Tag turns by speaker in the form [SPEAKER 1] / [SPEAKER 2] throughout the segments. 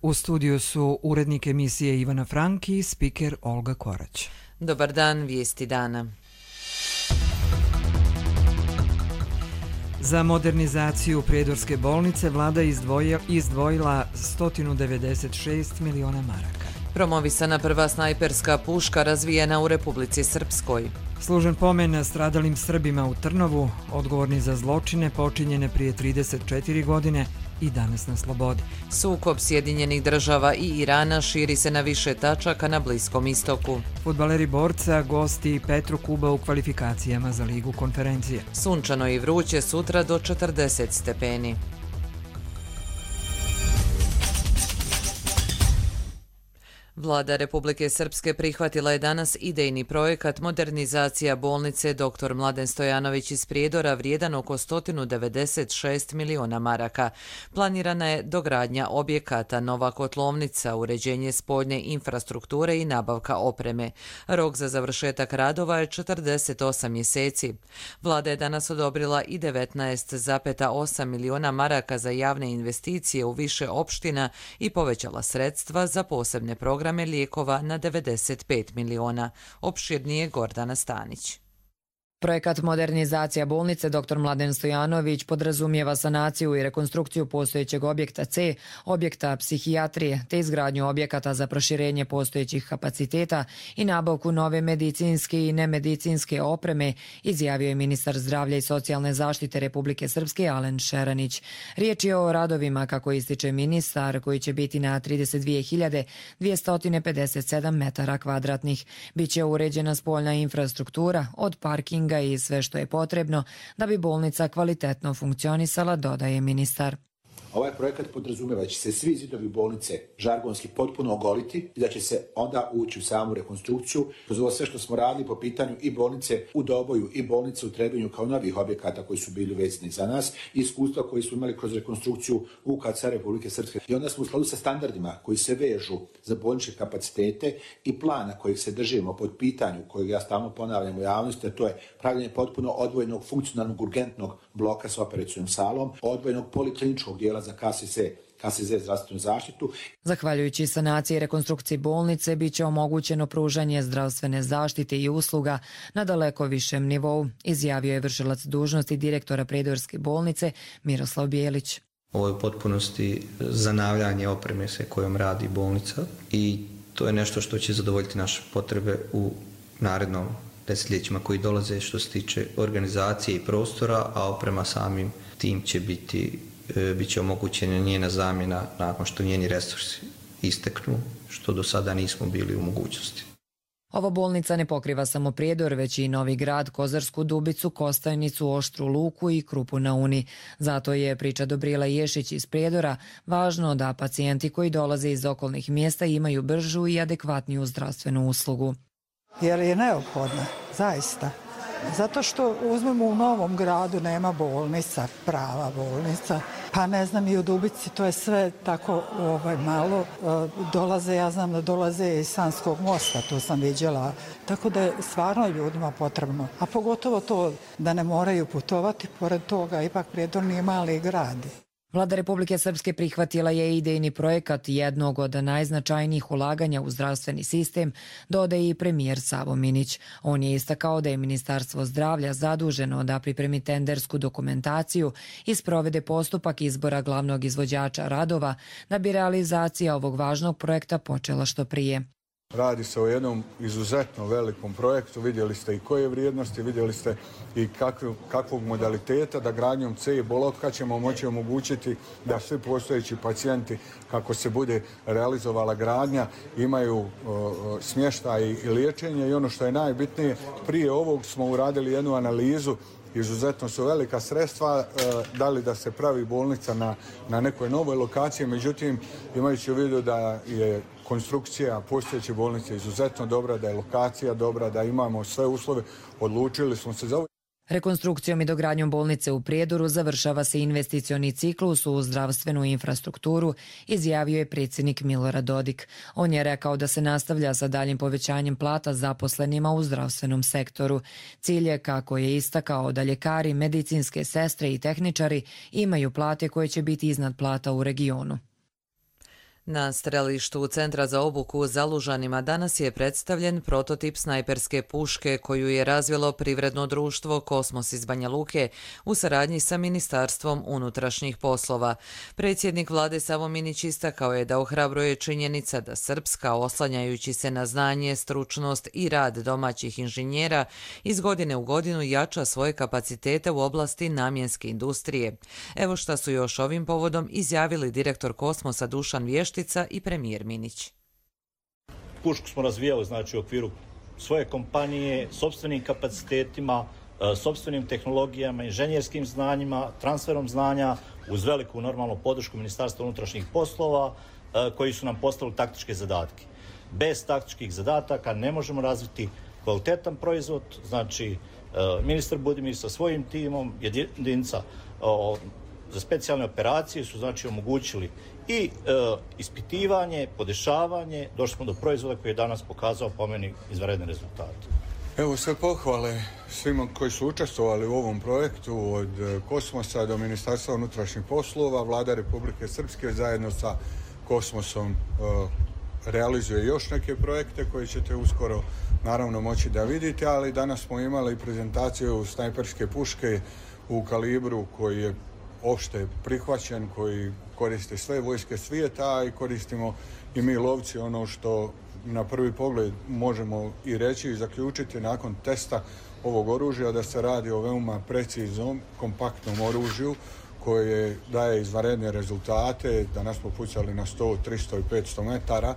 [SPEAKER 1] U studiju su urednik emisije Ivana Frank i spiker Olga Korać.
[SPEAKER 2] Dobar dan, vijesti dana.
[SPEAKER 1] Za modernizaciju Prijedorske bolnice vlada izdvojila 196 miliona maraka.
[SPEAKER 2] Promovisana prva snajperska puška razvijena u Republici Srpskoj.
[SPEAKER 1] Služen pomen stradalim Srbima u Trnovu, odgovorni za zločine počinjene prije 34 godine i danas na slobodi.
[SPEAKER 2] Sukob Sjedinjenih država i Irana širi se na više tačaka na Bliskom istoku.
[SPEAKER 1] Fudbaleri Borca gosti Petru Kuba u kvalifikacijama za Ligu konferencije.
[SPEAKER 2] Sunčano i vruće sutra do 40 stepeni. Vlada Republike Srpske prihvatila je danas idejni projekat modernizacija bolnice dr. Mladen Stojanović iz Prijedora vrijedan oko 196 miliona maraka. Planirana je dogradnja objekata, nova kotlovnica, uređenje spoljne infrastrukture i nabavka opreme. Rok za završetak radova je 48 mjeseci. Vlada je danas odobrila i 19,8 miliona maraka za javne investicije u više opština i povećala sredstva za posebne programe lijekova na 95 miliona. Opširnije Gordana Stanić.
[SPEAKER 3] Projekat modernizacija bolnice dr. Mladen Stojanović podrazumijeva sanaciju i rekonstrukciju postojećeg objekta C, objekta psihijatrije, te izgradnju objekata za proširenje postojećih kapaciteta i nabavku nove medicinske i nemedicinske opreme, izjavio je ministar zdravlja i socijalne zaštite Republike Srpske Alen Šeranić. Riječ je o radovima, kako ističe ministar, koji će biti na 32.257 metara kvadratnih. Biće uređena spoljna infrastruktura od parkinga i sve što je potrebno da bi bolnica kvalitetno funkcionisala, dodaje ministar.
[SPEAKER 4] Ovaj projekat podrazumijeva da će se svi zidovi bolnice žargonski potpuno ogoliti i da će se onda ući u samu rekonstrukciju. Kroz ovo sve što smo radili po pitanju i bolnice u Doboju i bolnice u Trebinju kao novih objekata koji su bili vezani za nas i iskustva koji smo imali kroz rekonstrukciju UKC Republike Srpske. I onda smo u skladu sa standardima koji se vežu za bolničke kapacitete i plana kojeg se držimo pod pitanju, kojeg ja stalno ponavljam u javnosti, a to je pravljenje potpuno odvojenog funkcionalnog urgentnog bloka s operacijom salom, odvojenog polikliničkog dijela za KSZ zdravstvenu zaštitu.
[SPEAKER 3] Zahvaljujući sanaciji i rekonstrukciji bolnice biće omogućeno pružanje zdravstvene zaštite i usluga na daleko višem nivou, izjavio je vršilac dužnosti direktora Prijedorske bolnice Miroslav Bijelić.
[SPEAKER 5] Ovo je u potpunosti zanavljanje opreme se kojom radi bolnica i to je nešto što će zadovoljiti naše potrebe u narednom desetljećima koji dolaze što se tiče organizacije i prostora, a oprema samim tim će bit će omogućena njena zamjena nakon što njeni resursi isteknu, što do sada nismo bili u mogućnosti.
[SPEAKER 3] Ova bolnica ne pokriva samo Prijedor, već i Novi Grad, Kozarsku Dubicu, Kostajnicu, Oštru Luku i Krupu na Uni. Zato je, priča Dobrila Ješić iz Prijedora, važno da pacijenti koji dolaze iz okolnih mjesta imaju bržu i adekvatniju zdravstvenu uslugu.
[SPEAKER 6] Jer je neophodna, zaista. Zato što uzmemo u Novom Gradu nema bolnica, prava bolnica, pa ne znam i u Dubici, to je sve tako malo. Dolaze, ja znam da dolaze iz Sanskog mosta, to sam viđala, tako da je stvarno ljudima potrebno. A pogotovo to da ne moraju putovati, pored toga ipak Prijedor nije mali grad.
[SPEAKER 3] Vlada Republike Srpske prihvatila je idejni projekat jednog od najznačajnijih ulaganja u zdravstveni sistem, dodaje i premijer Savo Minić. On je istakao da je Ministarstvo zdravlja zaduženo da pripremi tendersku dokumentaciju i sprovede postupak izbora glavnog izvođača radova da bi realizacija ovog važnog projekta počela što prije.
[SPEAKER 7] Radi se o jednom izuzetno velikom projektu, vidjeli ste i koje vrijednosti, vidjeli ste i kakvog modaliteta da gradnjom C bloka ćemo moći omogućiti da svi postojeći pacijenti, kako se bude realizovala gradnja, imaju smještaj i liječenje i ono što je najbitnije, prije ovog smo uradili jednu analizu. Izuzetno su velika sredstva, da li da se pravi bolnica na nekoj novoj lokaciji, međutim imajući u vidu da je konstrukcija postojeće bolnice izuzetno dobra, da je lokacija dobra, da imamo sve uslove, odlučili smo se za ovo.
[SPEAKER 3] Rekonstrukcijom i dogradnjom bolnice u Prijedoru završava se investicioni ciklus u zdravstvenu infrastrukturu, izjavio je predsjednik Milorad Dodik. On je rekao da se nastavlja sa daljim povećanjem plata zaposlenima u zdravstvenom sektoru. Cilj je, kako je istakao, da ljekari, medicinske sestre i tehničari imaju plate koje će biti iznad plata u regionu.
[SPEAKER 2] Na strelištu Centra za obuku u Zalužanima danas je predstavljen prototip snajperske puške koju je razvilo privredno društvo Kosmos iz Banja Luke u saradnji sa Ministarstvom unutrašnjih poslova. Predsjednik vlade Savo Minić istakao je da ohrabruje činjenica da Srpska, oslanjajući se na znanje, stručnost i rad domaćih inženjera, iz godine u godinu jača svoje kapacitete u oblasti namjenske industrije. Evo šta su još ovim povodom izjavili direktor Kosmosa Dušan Vještica i premijer Minić.
[SPEAKER 8] Pušku smo razvijali u okviru svoje kompanije, sopstvenim kapacitetima, sopstvenim tehnologijama, inženjerskim znanjima, transferom znanja uz veliku normalnu podršku Ministarstva unutrašnjih poslova koji su nam postavili taktičke zadatke. Bez taktičkih zadataka ne možemo razviti kvalitetan proizvod, ministar Budimir sa svojim timom, jedinica za specijalne operacije su omogućili i ispitivanje, podešavanje, došli smo do proizvoda koji je danas pokazao po meni izvanredne rezultate.
[SPEAKER 7] Evo sve pohvale svima koji su učestvovali u ovom projektu, od Kosmosa do Ministarstva unutrašnjih poslova. Vlada Republike Srpske zajedno sa Kosmosom realizuje još neke projekte koje ćete uskoro naravno moći da vidite, ali danas smo imali prezentaciju snajperske puške u kalibru koji je opšte prihvaćen, koji koriste sve vojske svijeta i koristimo i mi lovci, ono što na prvi pogled možemo i reći i zaključiti nakon testa ovog oružja da se radi o veoma preciznom, kompaktnom oružju koje daje izvanredne rezultate. Danas smo pucali na 100, 300 i 500 metara.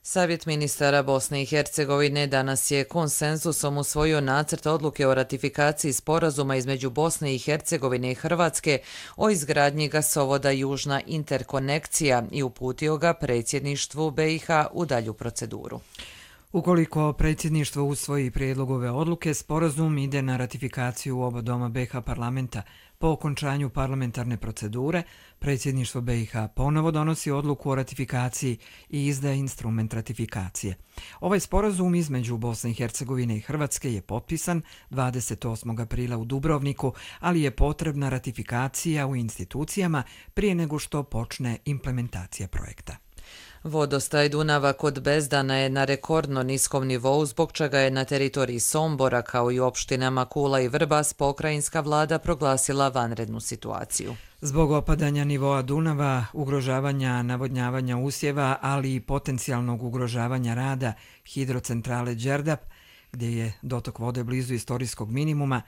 [SPEAKER 2] Savjet ministara Bosne i Hercegovine danas je konsenzusom usvojio nacrt odluke o ratifikaciji sporazuma između Bosne i Hercegovine i Hrvatske o izgradnji gasovoda Južna interkonekcija i uputio ga predsjedništvu BiH u dalju proceduru.
[SPEAKER 1] Ukoliko predsjedništvo usvoji prijedlog ove odluke, sporazum ide na ratifikaciju u oba doma BiH parlamenta. Po okončanju parlamentarne procedure, predsjedništvo BiH ponovo donosi odluku o ratifikaciji i izdaje instrument ratifikacije. Ovaj sporazum između Bosne i Hercegovine i Hrvatske je potpisan 28. aprila u Dubrovniku, ali je potrebna ratifikacija u institucijama prije nego što počne implementacija projekta.
[SPEAKER 2] Vodostaj Dunava kod Bezdana je na rekordno niskom nivou, zbog čega je na teritoriji Sombora kao i opštinama Kula i Vrbas pokrajinska vlada proglasila vanrednu situaciju.
[SPEAKER 1] Zbog opadanja nivoa Dunava, ugrožavanja navodnjavanja usjeva, ali i potencijalnog ugrožavanja rada hidrocentrale Đerdap, gdje je dotok vode blizu istorijskog minimuma,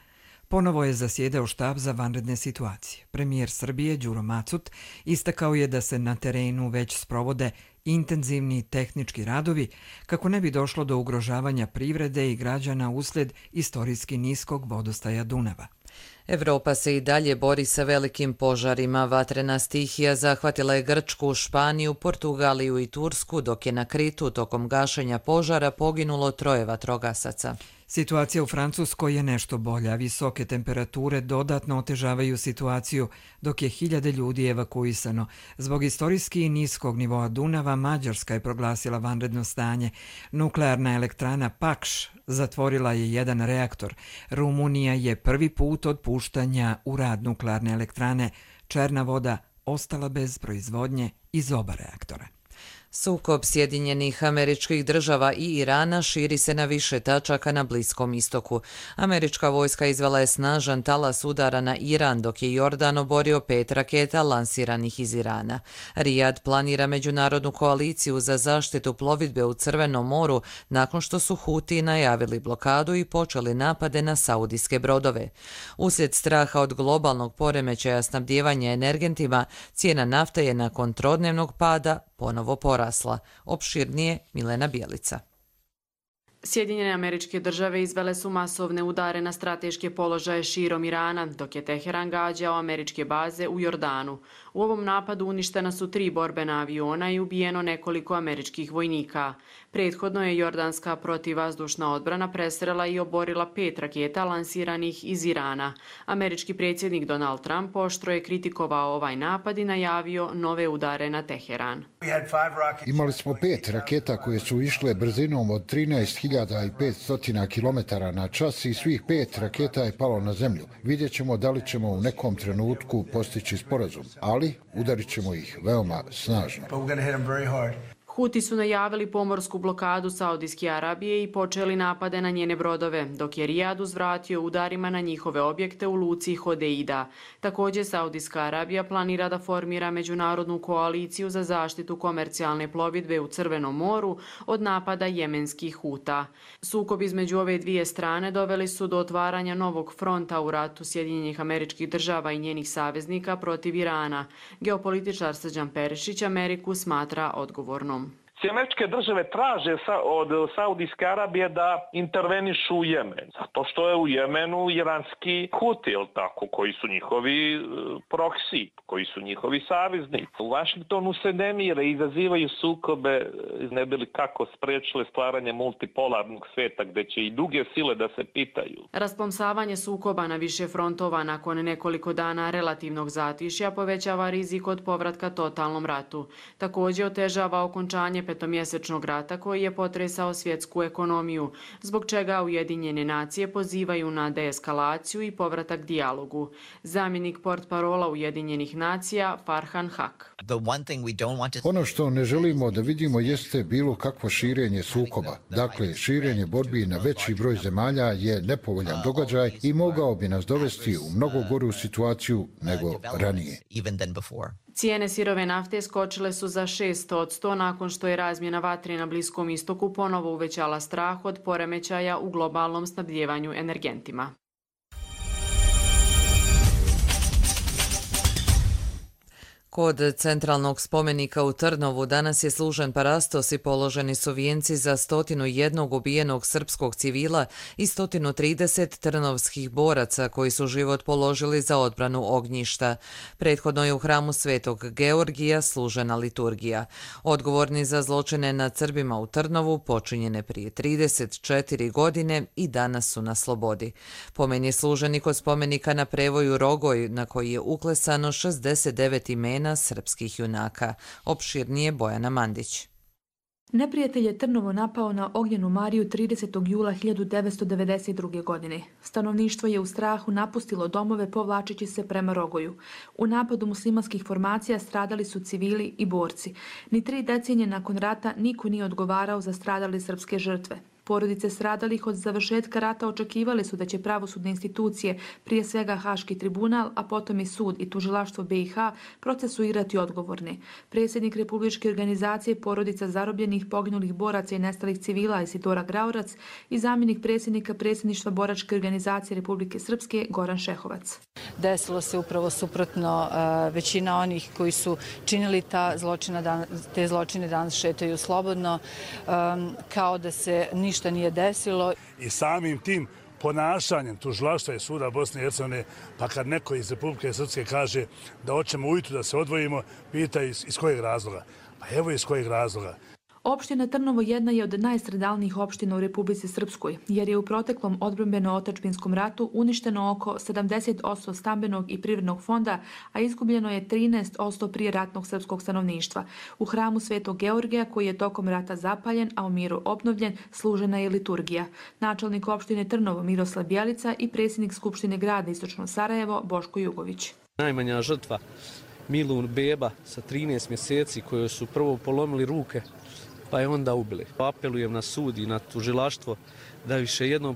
[SPEAKER 1] ponovo je zasjedao štab za vanredne situacije. Premijer Srbije Đuro Macut istakao je da se na terenu već sprovode intenzivni tehnički radovi kako ne bi došlo do ugrožavanja privrede i građana uslijed istorijski niskog vodostaja Dunava.
[SPEAKER 2] Evropa se i dalje bori sa velikim požarima. Vatrena stihija zahvatila je Grčku, Španiju, Portugaliju i Tursku, dok je na Kritu tokom gašenja požara poginulo 3 vatrogasaca.
[SPEAKER 1] Situacija u Francuskoj je nešto bolja. Visoke temperature dodatno otežavaju situaciju, dok je 1000 ljudi evakuisano. Zbog istorijski niskog nivoa Dunava, Mađarska je proglasila vanredno stanje. Nuklearna elektrana Pakš zatvorila je 1 reaktor. Rumunija je prvi put od puštanja u rad nuklearne elektrane Černa voda ostala bez proizvodnje iz oba reaktora.
[SPEAKER 2] Sukob Sjedinjenih Američkih Država i Irana širi se na više tačaka na Bliskom istoku. Američka vojska izvela je snažan talas udara na Iran, dok je Jordan oborio 5 raketa lansiranih iz Irana. Rijad planira međunarodnu koaliciju za zaštitu plovidbe u Crvenom moru nakon što su Huti najavili blokadu i počeli napade na saudijske brodove. Uslijed straha od globalnog poremećaja snabdijevanja energentima, cijena nafte je nakon trodnevnog pada ponovo porasla. Opširnije Milena Bijelica.
[SPEAKER 9] Sjedinjene Američke Države izvele su masovne udare na strateške položaje širom Irana, dok je Teheran gađao američke baze u Jordanu. U ovom napadu uništena su 3 borbena aviona i ubijeno nekoliko američkih vojnika. Prethodno je jordanska protivvazdušna odbrana presrela i oborila 5 raketa lansiranih iz Irana. Američki predsjednik Donald Trump oštro je kritikovao ovaj napad i najavio nove udare na Teheran.
[SPEAKER 10] Imali smo 5 raketa koje su išle brzinom od 13.500 km na čas i svih 5 raketa je palo na zemlju. Vidjet ćemo da li ćemo u nekom trenutku postići sporazum, ali ali udarit ćemo ih veoma snažno.
[SPEAKER 9] Huti su najavili pomorsku blokadu Saudijske Arabije i počeli napade na njene brodove, dok je Rijad uzvratio udarima na njihove objekte u luci Hodeida. Također, Saudijska Arabija planira da formira međunarodnu koaliciju za zaštitu komercijalne plovidbe u Crvenom moru od napada jemenskih Huta. Sukob između ove dvije strane doveli su do otvaranja novog fronta u ratu Sjedinjenih Američkih Država i njenih saveznika protiv Irana. Geopolitičar Srđan Perišić Ameriku smatra odgovornom.
[SPEAKER 11] Američke države traže od Saudijske Arabije da intervenišu u Jemen. Zato što je u Jemenu iranski Huti, tako, koji su njihovi proksi, koji su njihovi saveznici. U Vašingtonu se ne mire, izazivaju sukobe, ne bi li kako spriječile stvaranje multipolarnog sveta gdje će i druge sile da se pitaju.
[SPEAKER 9] Rasplamsavanje sukoba na više frontova nakon nekoliko dana relativnog zatišja povećava rizik od povratka totalnom ratu. Također otežava okončanje petomjesečnog rata koji je potresao svjetsku ekonomiju, zbog čega Ujedinjene nacije pozivaju na deeskalaciju i povratak dijalogu. Zamjenik portparola Ujedinjenih nacija Farhan Haq.
[SPEAKER 10] Ono što ne želimo da vidimo jeste bilo kakvo širenje sukoba. Dakle, širenje borbi na veći broj zemalja je nepovoljan događaj i mogao bi nas dovesti u mnogo goru situaciju nego ranije.
[SPEAKER 9] Cijene sirove nafte skočile su za 600% nakon što je razmjena vatre na Bliskom istoku ponovo uvećala strah od poremećaja u globalnom snabdjevanju energentima.
[SPEAKER 2] Kod centralnog spomenika u Trnovu danas je služen parastos i položeni su vijenci za 101 ubijenog srpskog civila i 130 trnovskih boraca koji su život položili za odbranu ognjišta. Prethodno je u hramu Svetog Georgija služena liturgija. Odgovorni za zločine nad Srbima u Trnovu počinjene prije 34 godine i danas su na slobodi. Pomen je služen i kod spomenika na prevoju Rogoj na koji je uklesano 69 imena srpskih junaka. Opširnije Bojana Mandić.
[SPEAKER 12] Neprijatelj je Trnovo napao na Ognjenu Mariju 30. jula 1992. godine. Stanovništvo je u strahu napustilo domove povlačeći se prema Rogoju. U napadu muslimanskih formacija stradali su civili i borci. Ni 3 decenije nakon rata niko nije odgovarao za stradale srpske žrtve. Porodice stradalih od završetka rata očekivali su da će pravosudne institucije, prije svega Haški tribunal, a potom i sud i tužilaštvo BiH, procesuirati odgovorne. Predsjednik Republičke organizacije porodica zarobljenih, poginulih boraca i nestalih civila Isidora Graurac i zamjenik predsjednika predsjedništva Boračke organizacije Republike Srpske Goran Šehovac.
[SPEAKER 13] Desilo se upravo suprotno, većina onih koji su činili te zločine danas šetaju slobodno, kao da se ništa nije desilo.
[SPEAKER 14] I samim tim ponašanjem tužilaštva i suda Bosne i Hercegovine, pa kad neko iz Republike Srpske kaže da hoćemo ujutro da se odvojimo, pita iz kojeg razloga. Pa evo iz kojeg razloga.
[SPEAKER 12] Opština Trnovo jedna je od najstradalnijih opština u Republici Srpskoj, jer je u proteklom odbrambeno-otadžbinskom ratu uništeno oko 70% stambenog i privrednog fonda, a izgubljeno je 13% prijeratnog srpskog stanovništva. U hramu Svetog Georgija, koji je tokom rata zapaljen, a u miru obnovljen, služena je liturgija. Načelnik opštine Trnovo Miroslav Bjelica i predsjednik Skupštine grada Istočno Sarajevo Boško Jugović.
[SPEAKER 15] Najmanja žrtva Milun beba sa 13 mjeseci kojoj su prvo polomili ruke, pa je onda ubili. Apelujem na sud i na tužilaštvo da više jednom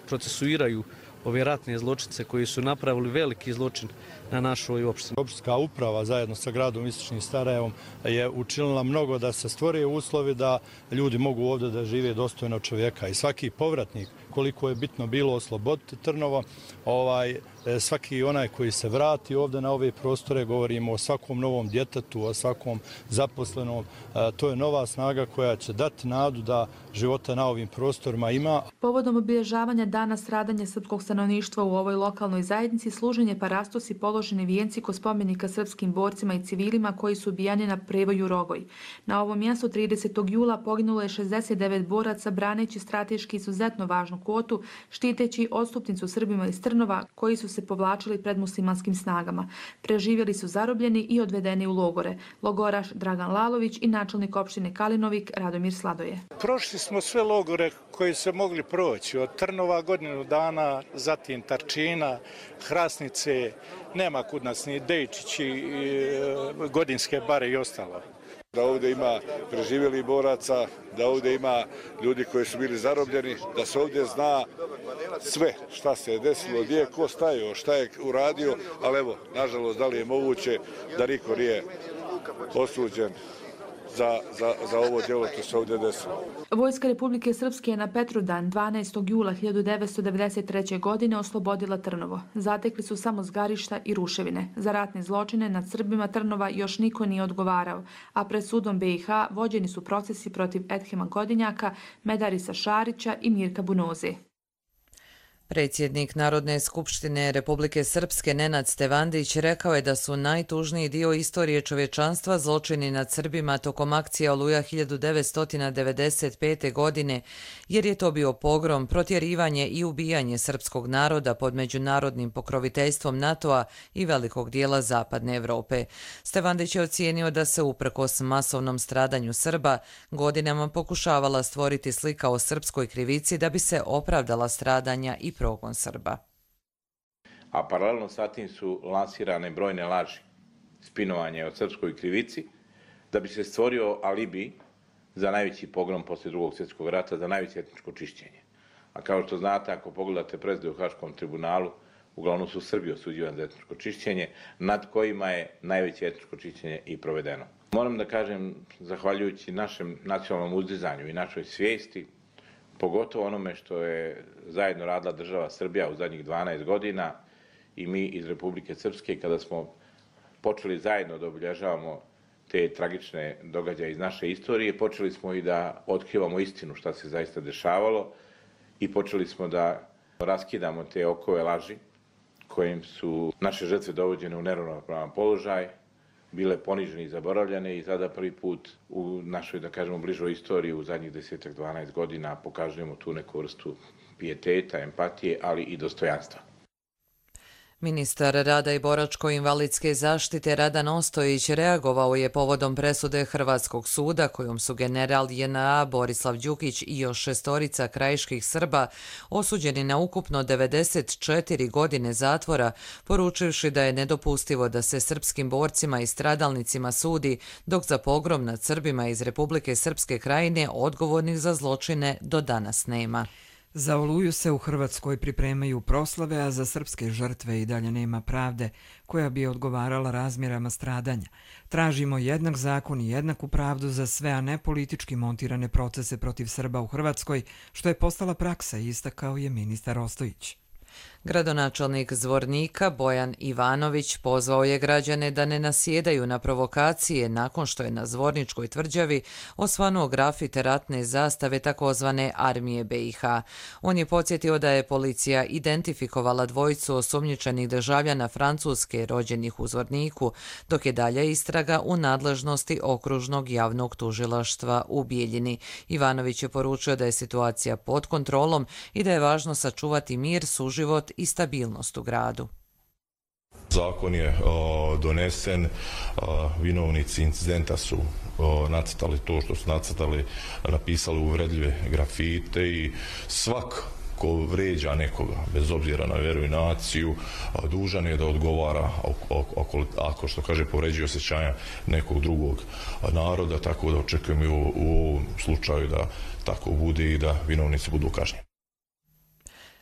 [SPEAKER 15] procesuiraju ove ratne zločince koji su napravili veliki zločin na našoj opštini.
[SPEAKER 16] Opštinska uprava zajedno sa gradom Istočnim Sarajevom je učinila mnogo da se stvore uslovi da ljudi mogu ovdje da žive dostojno čovjeka. I svaki povratnik, koliko je bitno bilo osloboditi Trnovo, svaki onaj koji se vrati ovdje na ove prostore, govorimo o svakom novom djetetu, o svakom zaposlenom, to je nova snaga koja će dati nadu da života na ovim prostorima ima.
[SPEAKER 12] Povodom obilježavanja dana stradanja srpskog stanovništva u ovoj lokalnoj zajednici služen je parastos i položeni vijenci kod spomenika srpskim borcima i civilima koji su ubijani na prevoju Rogoj. Na ovom mjestu 30. jula poginulo je 69 boraca braneći strateški izuzetno važnu kvotu, štiteći odstupnicu Srbima iz Trnova koji su se povlačili pred muslimanskim snagama. Preživjeli su zarobljeni i odvedeni u logore. Logoraš Dragan Lalović i načelnik opštine Kalinovik Radomir Sladoje.
[SPEAKER 17] Prošli smo sve logore koji se mogli proći. Od Trnova godinu dana, zatim Tarčina, Hrasnice, nema kud nas ni Dejčići, Godinske bare i ostalo.
[SPEAKER 18] Da ovdje ima preživjelih boraca, da ovdje ima ljudi koji su bili zarobljeni, da se ovdje zna sve šta se je desilo, gdje je ko stajao, šta je uradio, ali evo, nažalost, da li je moguće da niko nije osuđen za ovo djelo što se ovdje desilo.
[SPEAKER 12] Vojska Republike Srpske je na Petrovdan 12. jula 1993. godine oslobodila Trnovo. Zatekli su samo zgarišta i ruševine. Za ratne zločine nad Srbima Trnova još niko nije odgovarao, a pred sudom BiH vođeni su procesi protiv Edhema Godinjaka, Medarisa Šarića i Mirka Bunoze.
[SPEAKER 2] Predsjednik Narodne skupštine Republike Srpske Nenad Stevandić rekao je da su najtužniji dio istorije čovječanstva zločini nad Srbima tokom akcije Oluja 1995. godine, jer je to bio pogrom, protjerivanje i ubijanje srpskog naroda pod međunarodnim pokroviteljstvom NATO-a i velikog dijela Zapadne Evrope. Stevandić je ocijenio da se uprkos masovnom stradanju Srba godinama pokušavala stvoriti slika o srpskoj krivici da bi se opravdala stradanja i progon Srba.
[SPEAKER 19] A paralelno sa tim su lansirane brojne laži, spinovanje o srpskoj krivici, da bi se stvorio alibi za najveći pogrom posle Drugog svjetskog rata, za najveće etničko čišćenje. A kao što znate, ako pogledate presude u Haškom tribunalu, uglavnom su Srbi osuđivani za etničko čišćenje, nad kojima je najveće etničko čišćenje i provedeno. Moram da kažem, zahvaljujući našem nacionalnom uzdizanju i našoj svijesti, pogotovo onome što je zajedno radila država Srbija u zadnjih 12 godina i mi iz Republike Srpske, kada smo počeli zajedno da obilježavamo te tragične događaje iz naše istorije, počeli smo i da otkrivamo istinu šta se zaista dešavalo i počeli smo da raskidamo te okove laži kojim su naše žrtve dovođene u neravnopravan položaj, bile ponižene i zaboravljene i sada prvi put u našoj, da kažemo, bližoj istoriji u zadnjih 10-12 godina pokazujemo tu neku vrstu pijeteta, empatije, ali i dostojanstva.
[SPEAKER 2] Ministar rada i boračko-invalidske zaštite Radan Ostojić reagovao je povodom presude Hrvatskog suda kojom su general JNA Borislav Đukić i još 6 krajiških Srba osuđeni na ukupno 94 godine zatvora, poručivši da je nedopustivo da se srpskim borcima i stradalnicima sudi, dok za pogrom nad Srbima iz Republike Srpske krajine odgovornih za zločine do danas nema.
[SPEAKER 1] Za Oluju se u Hrvatskoj pripremaju proslave, a za srpske žrtve i dalje nema pravde koja bi odgovarala razmjerama stradanja. Tražimo jednak zakon i jednaku pravdu za sve, a ne politički montirane procese protiv Srba u Hrvatskoj, što je postala praksa, istakao je ministar Ostojić.
[SPEAKER 2] Gradonačelnik Zvornika Bojan Ivanović pozvao je građane da ne nasjedaju na provokacije nakon što je na Zvorničkoj tvrđavi osvanuo grafit ratne zastave takozvane Armije BiH. On je podsjetio da je policija identifikovala dvojicu osumnjičenih državljana Francuske rođenih u Zvorniku, dok je dalje istraga u nadležnosti okružnog javnog tužilaštva u Bijeljini. Ivanović je poručio da je situacija pod kontrolom i da je važno sačuvati mir, suživot i stabilnost u gradu.
[SPEAKER 20] Zakon je donesen, vinovnici incidenta su nacrtali to što su nacrtali, napisali uvredljive grafite i svak ko vređa nekoga, bez obzira na vjeru i naciju, dužan je da odgovara ako što kaže povređuje osjećanja nekog drugog naroda, tako da očekujem i u ovom slučaju da tako bude i da vinovnici budu kažnjeni.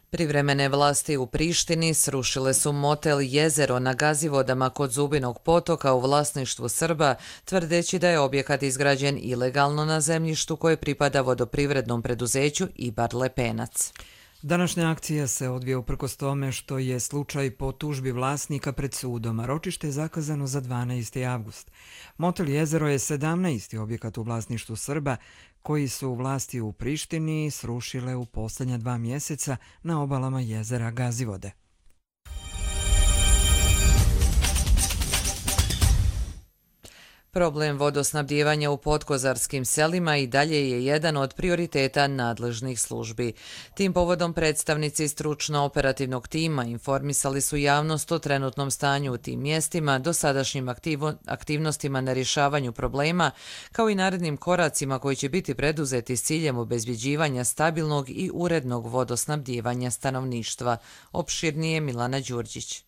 [SPEAKER 2] Privremene vlasti u Prištini srušile su motel Jezero na Gazivodama kod Zubinog potoka u vlasništvu Srba, tvrdeći da je objekat izgrađen ilegalno na zemljištu koje pripada vodoprivrednom preduzeću Ibar Lepenac.
[SPEAKER 1] Današnja akcija se odvija uprkos tome što je slučaj po tužbi vlasnika pred sudom, a ročište je zakazano za 12. avgust. Motel Jezero je 17. objekat u vlasništvu Srba koji su vlasti u Prištini srušile u posljednja 2 mjeseca na obalama jezera Gazivode.
[SPEAKER 2] Problem vodosnabdijevanja u podkozarskim selima i dalje je jedan od prioriteta nadležnih službi. Tim povodom predstavnici stručno-operativnog tima informisali su javnost o trenutnom stanju u tim mjestima, dosadašnjim aktivnostima na rješavanju problema, kao i narednim koracima koji će biti preduzeti s ciljem obezbjeđivanja stabilnog i urednog vodosnabdijevanja stanovništva. Opširnije Milana Đurđić.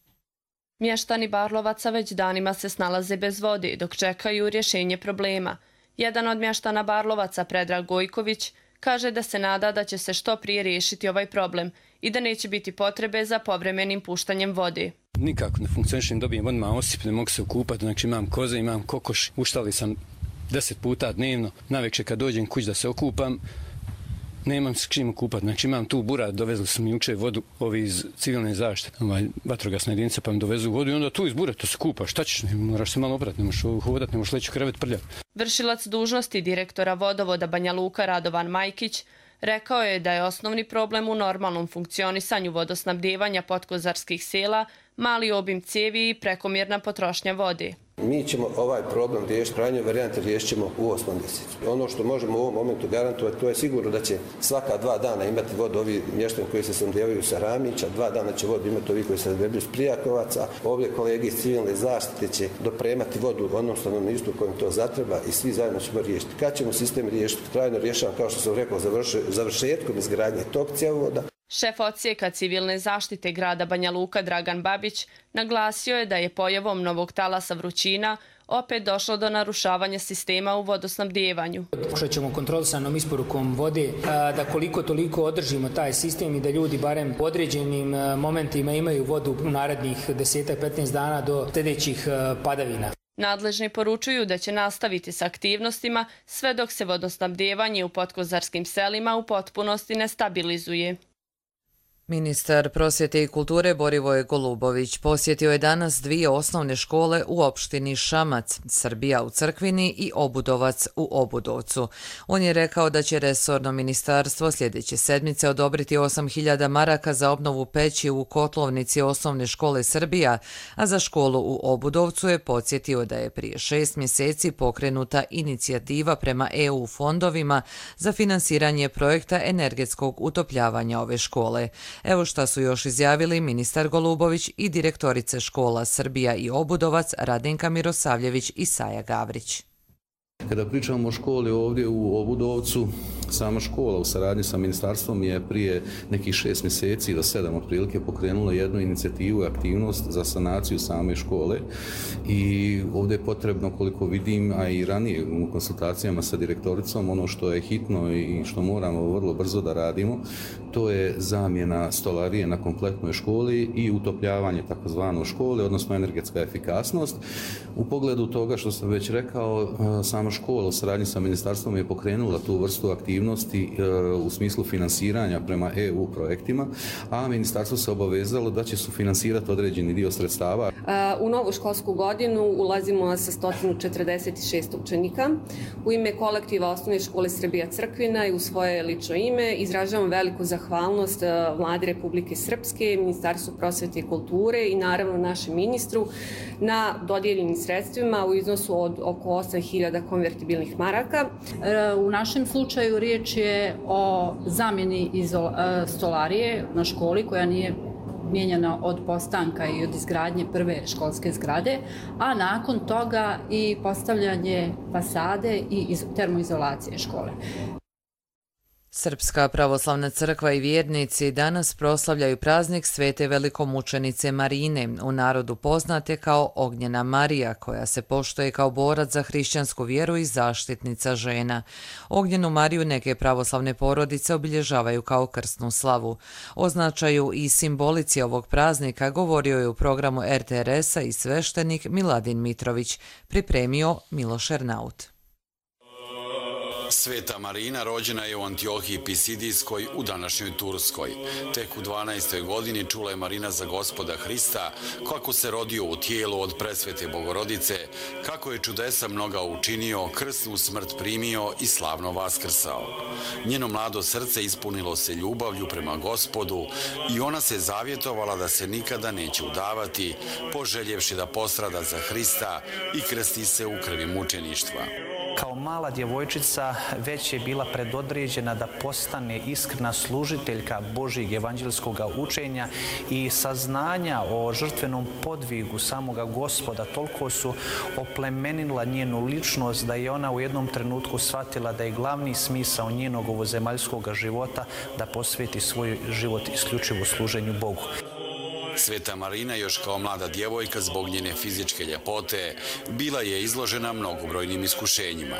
[SPEAKER 21] Mještani Barlovaca već danima se snalaze bez vode dok čekaju rješenje problema. Jedan od mještana Barlovaca, Predrag Gojković, kaže da se nada da će se što prije riješiti ovaj problem i da neće biti potrebe za povremenim puštanjem vode.
[SPEAKER 22] Nikako ne funkcioniše, ne dobijem odmah osip, ne mogu se okupati, znači imam koze, imam kokoš, uštali sam 10 puta dnevno, navečer kad dođem kuć da se okupam, nemam s čim okupati, znači imam tu burat, dovezli su mi jučer vodu ovi iz civilne zaštite, vatrogasna jedinica, pa mi dovezu vodu i onda tu iz bureta se kupa, šta ćeš, moraš se malo oprati, ne možeš hodati, ne možeš leći u krevet prljati.
[SPEAKER 21] Vršilac dužnosti direktora vodovoda Banja Luka Radovan Majkić rekao je da je osnovni problem u normalnom funkcionisanju vodosnabdijevanja podkozarskih sela mali obim cijevi i prekomjerna potrošnja vode.
[SPEAKER 23] Mi ćemo ovaj problem riješiti, krajnje varijante riješit ćemo u 8. mjesecu. Ono što možemo u ovom momentu garantovati, to je sigurno da će svaka 2 dana imati vodu ovi mještani koji se snabdijevaju sa Ramića, 2 dana će vodu imati ovi koji se snabdijevaju s Prijakovaca, ovdje kolege iz civilne zaštite će dopremati vodu onom stanovništvu kojem to zatreba i svi zajedno ćemo riješiti. Kad ćemo sistem riješiti? Trajno rješavam, kao što sam rekao, završetkom izgradnje tog cjevovoda.
[SPEAKER 21] Šef odsjeka civilne zaštite grada Banja Luka Dragan Babić naglasio je da je pojavom novog talasa vrućina opet došlo do narušavanja sistema u vodosnabdijevanju.
[SPEAKER 24] Pokušat ćemo kontrolisanom isporukom vode da koliko toliko održimo taj sistem i da ljudi barem u određenim momentima imaju vodu u narednih 10-15 dana do sljedećih padavina.
[SPEAKER 21] Nadležni poručuju da će nastaviti s aktivnostima sve dok se vodosnabdijevanje u podkozarskim selima u potpunosti ne stabilizuje.
[SPEAKER 2] Ministar prosvjete i kulture Borivoje Golubović posjetio je danas 2 osnovne škole u opštini Šamac, Srbija u Crkvini i Obudovac u Obudovcu. On je rekao da će resorno ministarstvo sljedeće sedmice odobriti 8.000 maraka za obnovu peći u kotlovnici osnovne škole Srbija, a za školu u Obudovcu je podsjetio da je prije 6 mjeseci pokrenuta inicijativa prema EU fondovima za finansiranje projekta energetskog utopljavanja ove škole. Evo šta su još izjavili ministar Golubović i direktorice škola Srbija i Obudovac Radenka Mirosavljević i Saja Gavrić.
[SPEAKER 25] Kada pričamo o školi ovdje u Obudovcu, sama škola u saradnji sa ministarstvom je prije nekih 6 mjeseci do 7 otprilike pokrenula jednu inicijativu i aktivnost za sanaciju same škole i ovdje je potrebno, koliko vidim, a i ranije u konsultacijama sa direktoricom, ono što je hitno i što moramo vrlo brzo da radimo, to je zamjena stolarije na kompletnoj školi i utopljavanje takozvano škole, odnosno energetska efikasnost. U pogledu toga što sam već rekao, sama škola u saradnji sa ministarstvom je pokrenula tu vrstu aktivnosti u smislu finansiranja prema EU projektima, a ministarstvo se obavezalo da će sufinansirati određeni dio sredstava.
[SPEAKER 26] U novu školsku godinu ulazimo sa 146 učenika. U ime kolektiva Osnovne škole Srbija Crkvina i u svoje lično ime izražavam veliku zahvalnost Vladi Republike Srpske, Ministarstvu prosvjete i kulture i naravno našem ministru na dodijeljenim sredstvima u iznosu od oko 8.000 konvertibilnih maraka.
[SPEAKER 27] U našem slučaju riječ je o zamjeni stolarije na školi koja nije mijenjana od postanka i od izgradnje prve školske zgrade, a nakon toga i postavljanje fasade i termoizolacije škole.
[SPEAKER 2] Srpska pravoslavna crkva i vjernici danas proslavljaju praznik Svete velikomučenice Marine, u narodu poznate kao Ognjena Marija, koja se poštuje kao borac za hrišćansku vjeru i zaštitnica žena. Ognjenu Mariju neke pravoslavne porodice obilježavaju kao krsnu slavu. O značaju i simbolici ovog praznika govorio je u programu RTRS-a i sveštenik Miladin Mitrović, pripremio Miloš Ernaut.
[SPEAKER 28] Sveta Marina rođena je u Antiohiji Pisidijskoj u današnjoj Turskoj. Tek u 12. godini čula je Marina za Gospoda Hrista, kako se rodio u tijelu od presvete Bogorodice, kako je čudesa mnoga učinio, krsnu smrt primio i slavno vaskrsao. Njeno mlado srce ispunilo se ljubavlju prema Gospodu i ona se zavjetovala da se nikada neće udavati, poželjevši da postrada za Hrista i krsti se u krvi mučeništva.
[SPEAKER 29] Kao mala djevojčica već je bila predodređena da postane iskrena služiteljka Božjeg evanđelskog učenja i saznanja o žrtvenom podvigu samoga Gospoda toliko su oplemenila njenu ličnost da je ona u jednom trenutku shvatila da je glavni smisao njenog ovozemaljskog života da posveti svoj život isključivo služenju Bogu.
[SPEAKER 28] Sveta Marina još kao mlada djevojka zbog njene fizičke ljepote bila je izložena mnogobrojnim iskušenjima.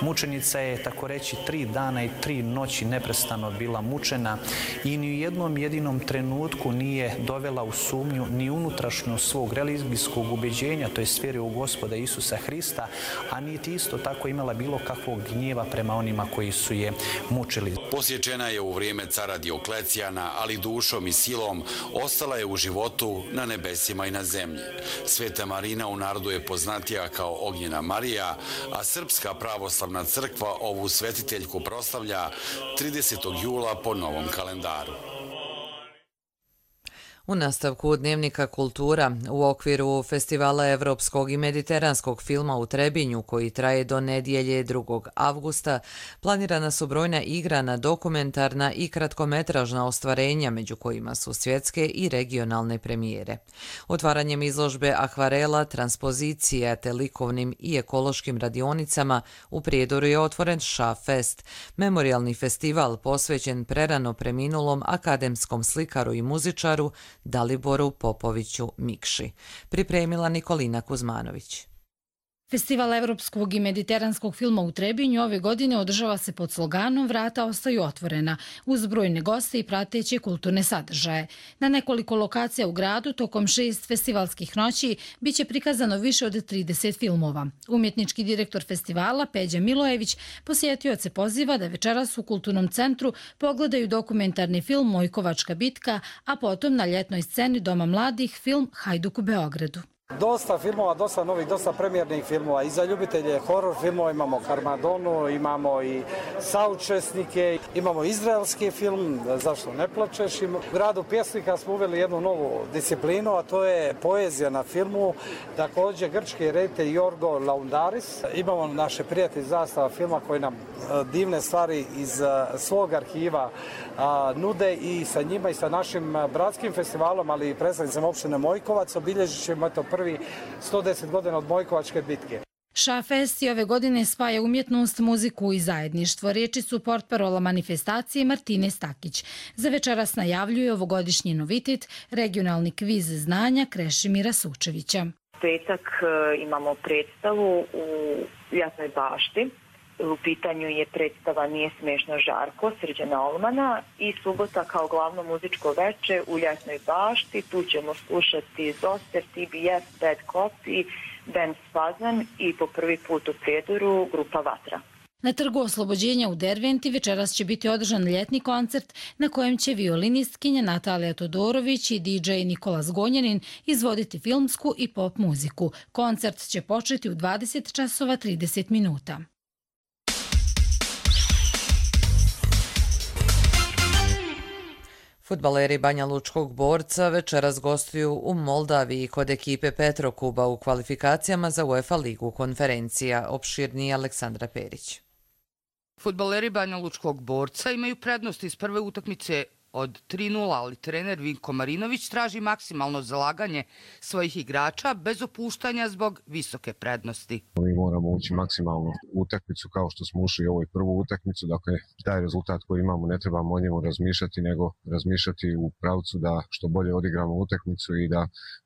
[SPEAKER 29] Mučenica je, tako reći, 3 dana i 3 noći neprestano bila mučena i ni u jednom jedinom trenutku nije dovela u sumnju ni unutrašnjost svog religijskog ubeđenja, to je vjere u Gospoda Isusa Hrista, a niti isto tako imala bilo kakvog gnjeva prema onima koji su je mučili.
[SPEAKER 28] Posjećena je u vrijeme cara Dioklecijana, ali dušom i silom ostala je u životu na nebesima i na zemlji. Sveta Marina u narodu je poznatija kao Ognjena Marija, a Srpska pravoslavna crkva ovu svetiteljku proslavlja 30. jula po novom kalendaru.
[SPEAKER 2] U nastavku Dnevnika kultura u okviru Festivala evropskog i mediteranskog filma u Trebinju, koji traje do nedjelje 2. avgusta, planirana su brojna igrana, dokumentarna i kratkometražna ostvarenja, među kojima su svjetske i regionalne premijere. Otvaranjem izložbe akvarela, transpozicija te likovnim i ekološkim radionicama u Prijedoru je otvoren Ša-fest, memorijalni festival posvećen prerano preminulom akademskom slikaru i muzičaru Daliboru Popoviću Mikši. Pripremila Nikolina Kuzmanović.
[SPEAKER 3] Festival evropskog i mediteranskog filma u Trebinju ove godine održava se pod sloganom Vrata ostaju otvorena, uz brojne goste i prateće kulturne sadržaje. Na nekoliko lokacija u gradu tokom 6 festivalskih noći biće prikazano više od 30 filmova. Umjetnički direktor festivala Peđa Milojević posjetioce poziva da večeras u Kulturnom centru pogledaju dokumentarni film Mojkovačka bitka, a potom na ljetnoj sceni Doma mladih film Hajduk u Beogradu.
[SPEAKER 4] Dosta filmova, dosta novih, dosta premijernih filmova. I za ljubitelje horor filmova imamo Karmadonu, imamo i Saučesnike, imamo izraelski film, Zašto ne plačeš. U gradu pjesnika smo uveli jednu novu disciplinu, a to je poezija na filmu. Također grčki reditelj Jorgo Laundaris. Imamo naše prijatelji Zastava filma koji nam divne stvari iz svog arhiva nude i sa njima i sa našim bratskim festivalom, ali i predstavnicama opštine Mojkovac obilježit ćemo prvi 110 godina od Mojkovačke bitke.
[SPEAKER 3] Ša-fest ove godine spaja umjetnost, muziku i zajedništvo. Riječi su portparola manifestacije Martine Stakić. Za večeras najavljuje ovogodišnji novitet, regionalni kviz znanja Krešimira Sučevića.
[SPEAKER 5] Petak imamo predstavu u Jasnoj bašti. U pitanju je predstava Nije smiješno Žarko, Srđana Olmana, i subota kao glavno muzičko veče u Jasnoj bašti. Tu ćemo slušati Zoster, TBF, Bad Copy, band Spazan i po prvi put u Prijedoru grupa Vatra.
[SPEAKER 3] Na Trgu Oslobođenja u Derventi večeras će biti održan ljetni koncert na kojem će violinistkinja Natalija Todorović i DJ Nikola Zgonjanin izvoditi filmsku i pop muziku. Koncert će početi u 20 časova 30 minuta.
[SPEAKER 2] Fudbaleri Banja Lučkog Borca večeras gostuju u Moldaviji kod ekipe Petrokuba u kvalifikacijama za UEFA ligu konferencija. Opširniji Aleksandra Perić.
[SPEAKER 6] Fudbaleri Banja Lučkog Borca imaju prednost iz prve utakmice od 3:0, ali trener Vinko Marinović traži maksimalno zalaganje svojih igrača bez opuštanja zbog visoke prednosti.
[SPEAKER 7] Mi moramo ući maksimalno u utakmicu kao što smo ušli u ovoj prvu utakmicu. Dakle, taj rezultat koji imamo ne trebamo o njemu razmišljati, nego razmišljati u pravcu da što bolje odigramo utakmicu i da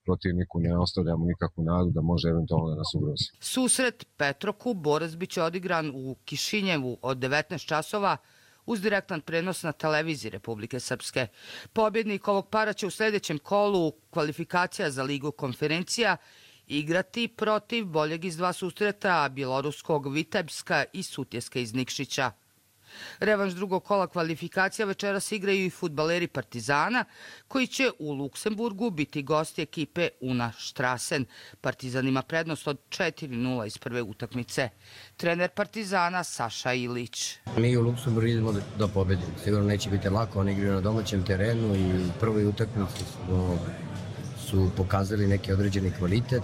[SPEAKER 7] protivniku ne ostavljamo nikakvu nadu da može eventualno da nas ugrozi.
[SPEAKER 6] Susret Petrokub Borac biće odigran u Kišinjevu od 19 časova uz direktan prenos na televiziji Republike Srpske. Pobjednik ovog para će u sljedećem kolu kvalifikacija za ligu konferencija igrati protiv boljeg iz 2 susreta bjeloruskog Vitebska i Sutjeske iz Nikšića. Revanš drugog kola kvalifikacija večeras igraju i fudbaleri Partizana, koji će u Luksemburgu biti gosti ekipe Una Štrasen. Partizan ima prednost od 4:0 iz prve utakmice. Trener Partizana Saša Ilić.
[SPEAKER 8] Mi u Luksemburgu idemo da pobedimo. Sigurno neće biti lako, oni igraju na domaćem terenu i u prvoj utakmici su pokazali neki određeni kvalitet.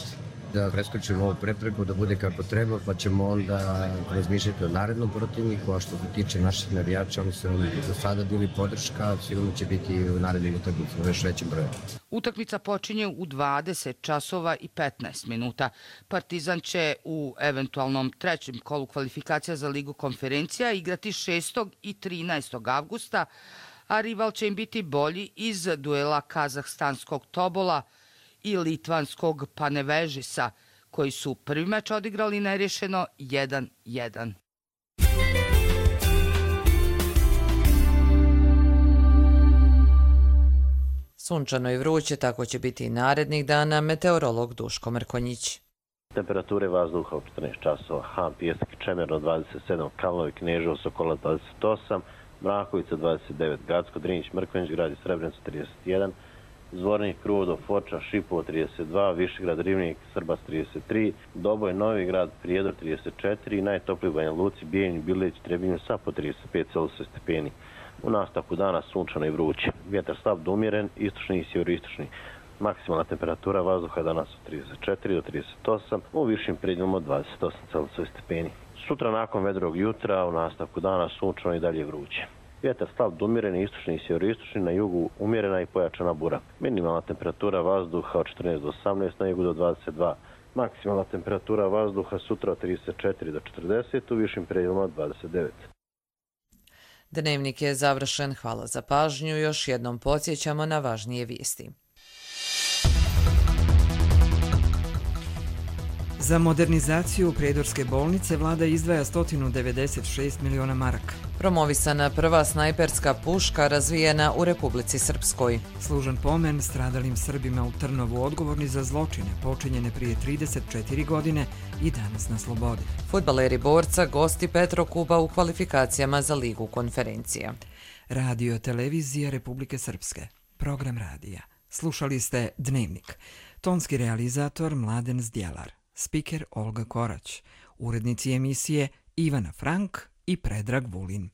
[SPEAKER 8] Da preskočimo ovu prepreku, da bude kako treba, pa ćemo onda razmišljati o narednom protivniku, a što se tiče naših navijača, oni su do sada bili podrška, sigurno će biti u narednim utakmicama još većim brojem.
[SPEAKER 6] Utakmica počinje u 20 časova i 15 minuta. Partizan će u eventualnom trećem kolu kvalifikacija za ligu konferencija igrati 6. i 13. avgusta, a rival će im biti bolji iz duela kazahstanskog Tobola i litvanskog Panevežisa, koji su prvi meč odigrali nerješeno 1-1.
[SPEAKER 2] Sunčano i vruće, tako će biti i narednih dana, meteorolog Duško Mrkonjić.
[SPEAKER 9] Temperature vazduha u 14 časova. Han, Pijesak, Čemerno 27, Kalnovi, Kneževo, Sokola 28, Mrakovica 29, Gacko, Drinić, Mrkonjić, grad i Srebrenica 31, Zvornik, Kruvodov, Foča, Šipovo 32, Višegrad, Rivnik, Srbas 33, Doboj, Novi grad, Prijedor 34 i najtopliji u Banja Luci, Bijeljin, Bileć, Trebinju sa po 35 Celzijusov stepeni. U nastavku dana sunčano i vruće. Vjetar slab do umjeren, istočni i sjeveroistočni. Maksimalna temperatura vazduha danas od 34 do 38, u višim predjelima od 28 Celzijusov stepeni. Sutra nakon vedrog jutra, u nastavku dana sunčano i dalje vruće. Vjetar slab do umjeren, istočni i sjeveroistočni, na jugu umjerena i pojačana bura. Minimalna temperatura vazduha od 14 do 18, na jugu do 22. Maksimalna temperatura vazduha sutra od 34 do 40, u višim predjelima od 29.
[SPEAKER 2] Dnevnik je završen. Hvala za pažnju. Još jednom podsjećamo na važnije vijesti.
[SPEAKER 1] Za modernizaciju Prijedorske bolnice vlada izdvaja 196 miliona maraka.
[SPEAKER 2] Promovisana prva snajperska puška razvijena u Republici Srpskoj.
[SPEAKER 1] Služan pomen stradalim Srbima u Trnovu odgovorni za zločine počinjene prije 34 godine i danas na slobodi.
[SPEAKER 2] Fudbaleri Borca gosti Petrokuba u kvalifikacijama za Ligu konferencija.
[SPEAKER 1] Radio televizija Republike Srpske. Program radija. Slušali ste Dnevnik. Tonski realizator Mladen Zdjelar. Spiker Olga Korać. Urednici emisije Ivana Frank i Predrag Vulin.